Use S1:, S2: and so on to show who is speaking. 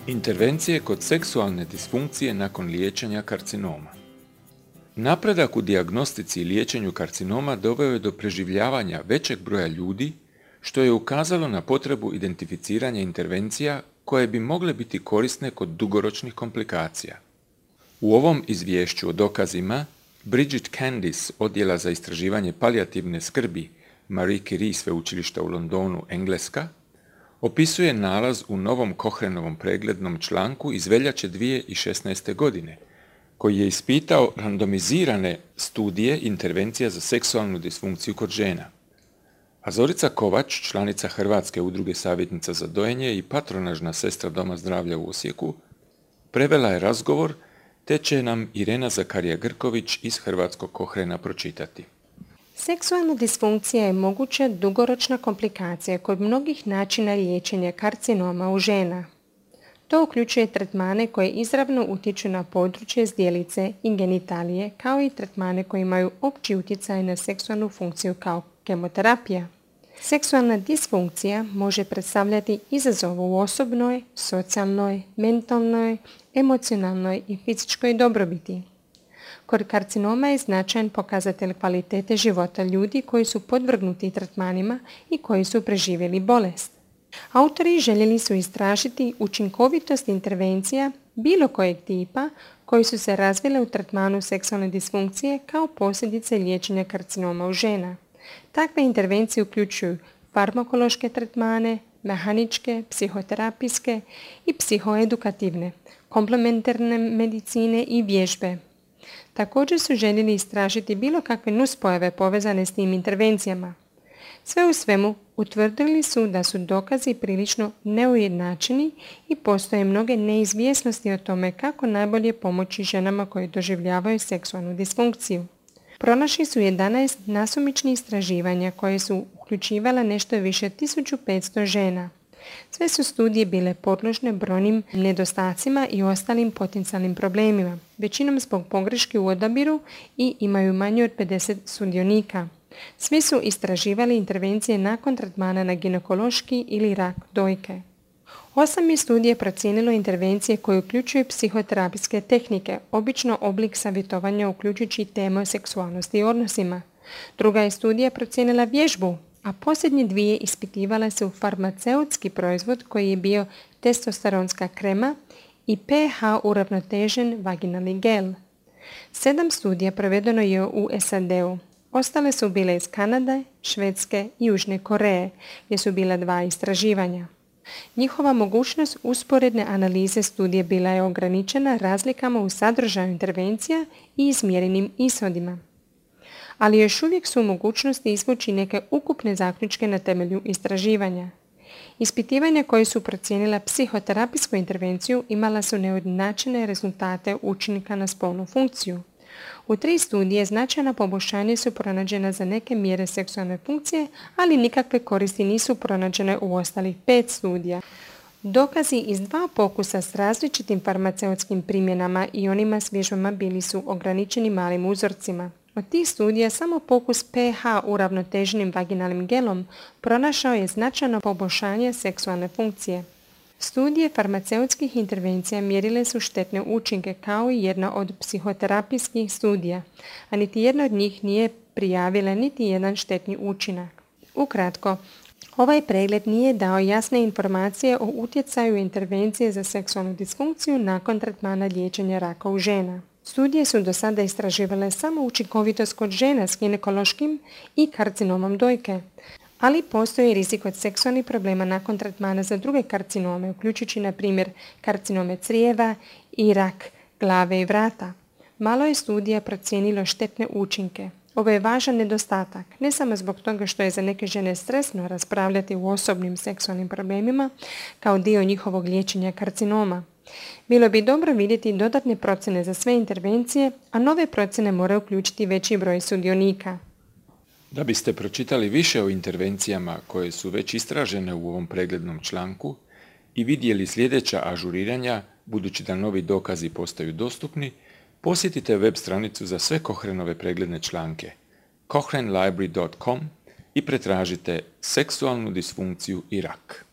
S1: Intervencije kod seksualne disfunkcije nakon liječenja karcinoma. Napredak u dijagnostici i liječenju karcinoma doveo je do preživljavanja većeg broja ljudi, što je ukazalo na potrebu identificiranja intervencija koje bi mogle biti korisne kod dugoročnih komplikacija. U ovom izvješću o dokazima Bridget Candice Odjela za istraživanje palijativne skrbi Marie Curie sveučilišta u Londonu, Engleska, opisuje nalaz u novom Cochranovom preglednom članku iz veljače 2016. godine, koji je ispitao randomizirane studije intervencija za seksualnu disfunkciju kod žena. A Zorica Kovač, članica Hrvatske udruge savjetnica za dojenje i patronažna sestra Doma zdravlja u Osijeku, prevela je razgovor, te će nam Irena Zakarija-Grković iz Hrvatskog Cochrana pročitati.
S2: Seksualna disfunkcija je moguća dugoročna komplikacija kod mnogih načina liječenja karcinoma u žena. To uključuje tretmane koje izravno utječu na područje zdjelice i genitalije, kao i tretmane koji imaju opći utjecaj na seksualnu funkciju kao kemoterapija. Seksualna disfunkcija može predstavljati izazov u osobnoj, socijalnoj, mentalnoj, emocionalnoj i fizičkoj dobrobiti. Kod karcinoma je značajan pokazatelj kvalitete života ljudi koji su podvrgnuti tretmanima i koji su preživjeli bolest. Autori željeli su istražiti učinkovitost intervencija bilo kojeg tipa koji su se razvile u tretmanu seksualne disfunkcije kao posljedice liječenja karcinoma u žena. Takve intervencije uključuju farmakološke tretmane, mehaničke, psihoterapijske i psihoedukativne, komplementarne medicine i vježbe. Također su željeli istražiti bilo kakve nuspojave povezane s tim intervencijama. Sve u svemu, utvrdili su da su dokazi prilično neujednačeni i postoje mnoge neizvjesnosti o tome kako najbolje pomoći ženama koje doživljavaju seksualnu disfunkciju. Pronašli su 11 nasumičnih istraživanja koje su uključivala nešto više 1500 žena. Sve su studije bile podložne brojnim nedostacima i ostalim potencijalnim problemima, većinom zbog pogreške u odabiru i imaju manje od 50 sudionika. Svi su istraživali intervencije nakon tretmana na ginekološki ili rak dojke. 8 je studije procijenilo intervencije koje uključuju psihoterapijske tehnike, obično oblik savjetovanja uključujući temu o seksualnosti i odnosima. Druga je studija procijenila vježbu, a posljednje dvije ispitivale su farmaceutski proizvod koji je bio testosteronska krema i pH uravnotežen vaginalni gel. 7 studija provedeno je u SAD-u. Ostale su bile iz Kanade, Švedske i Južne Koreje, gdje su bila 2 istraživanja. Njihova mogućnost usporedne analize studije bila je ograničena razlikama u sadržaju intervencija i izmjerenim ishodima. Ali još uvijek su u mogućnosti izvući neke ukupne zaključke na temelju istraživanja. Ispitivanja koje su procijenila psihoterapijsku intervenciju imala su neujednačene rezultate učinka na spolnu funkciju. U 3 studije značajna poboljšanja su pronađena za neke mjere seksualne funkcije, ali nikakve koristi nisu pronađene u ostalih 5 studija. Dokazi iz 2 pokusa s različitim farmaceutskim primjenama i onima s vježbama bili su ograničeni malim uzorcima. Od tih studija samo pokus pH uravnoteženim vaginalnim gelom pronašao je značajno poboljšanje seksualne funkcije. Studije farmaceutskih intervencija mjerile su štetne učinke kao i jedna od psihoterapijskih studija, a niti jedna od njih nije prijavila niti jedan štetni učinak. Ukratko, ovaj pregled nije dao jasne informacije o utjecaju intervencije za seksualnu disfunkciju nakon tretmana liječenja raka u žena. Studije su do sada istraživale samo učinkovitost kod žena s ginekološkim i karcinomom dojke, ali postoji rizik od seksualnih problema nakon tretmana za druge karcinome, uključujući na primjer karcinome crijeva i rak glave i vrata. Malo je studija procijenilo štetne učinke. Ovo je važan nedostatak, ne samo zbog toga što je za neke žene stresno raspravljati o osobnim seksualnim problemima kao dio njihovog liječenja karcinoma. Bilo bi dobro vidjeti dodatne procjene za sve intervencije, a nove procjene moraju uključiti veći broj sudionika.
S1: Da biste pročitali više o intervencijama koje su već istražene u ovom preglednom članku i vidjeli sljedeća ažuriranja, budući da novi dokazi postaju dostupni, posjetite web stranicu za sve Cochranove pregledne članke cochranelibrary.com i pretražite seksualnu disfunkciju i rak.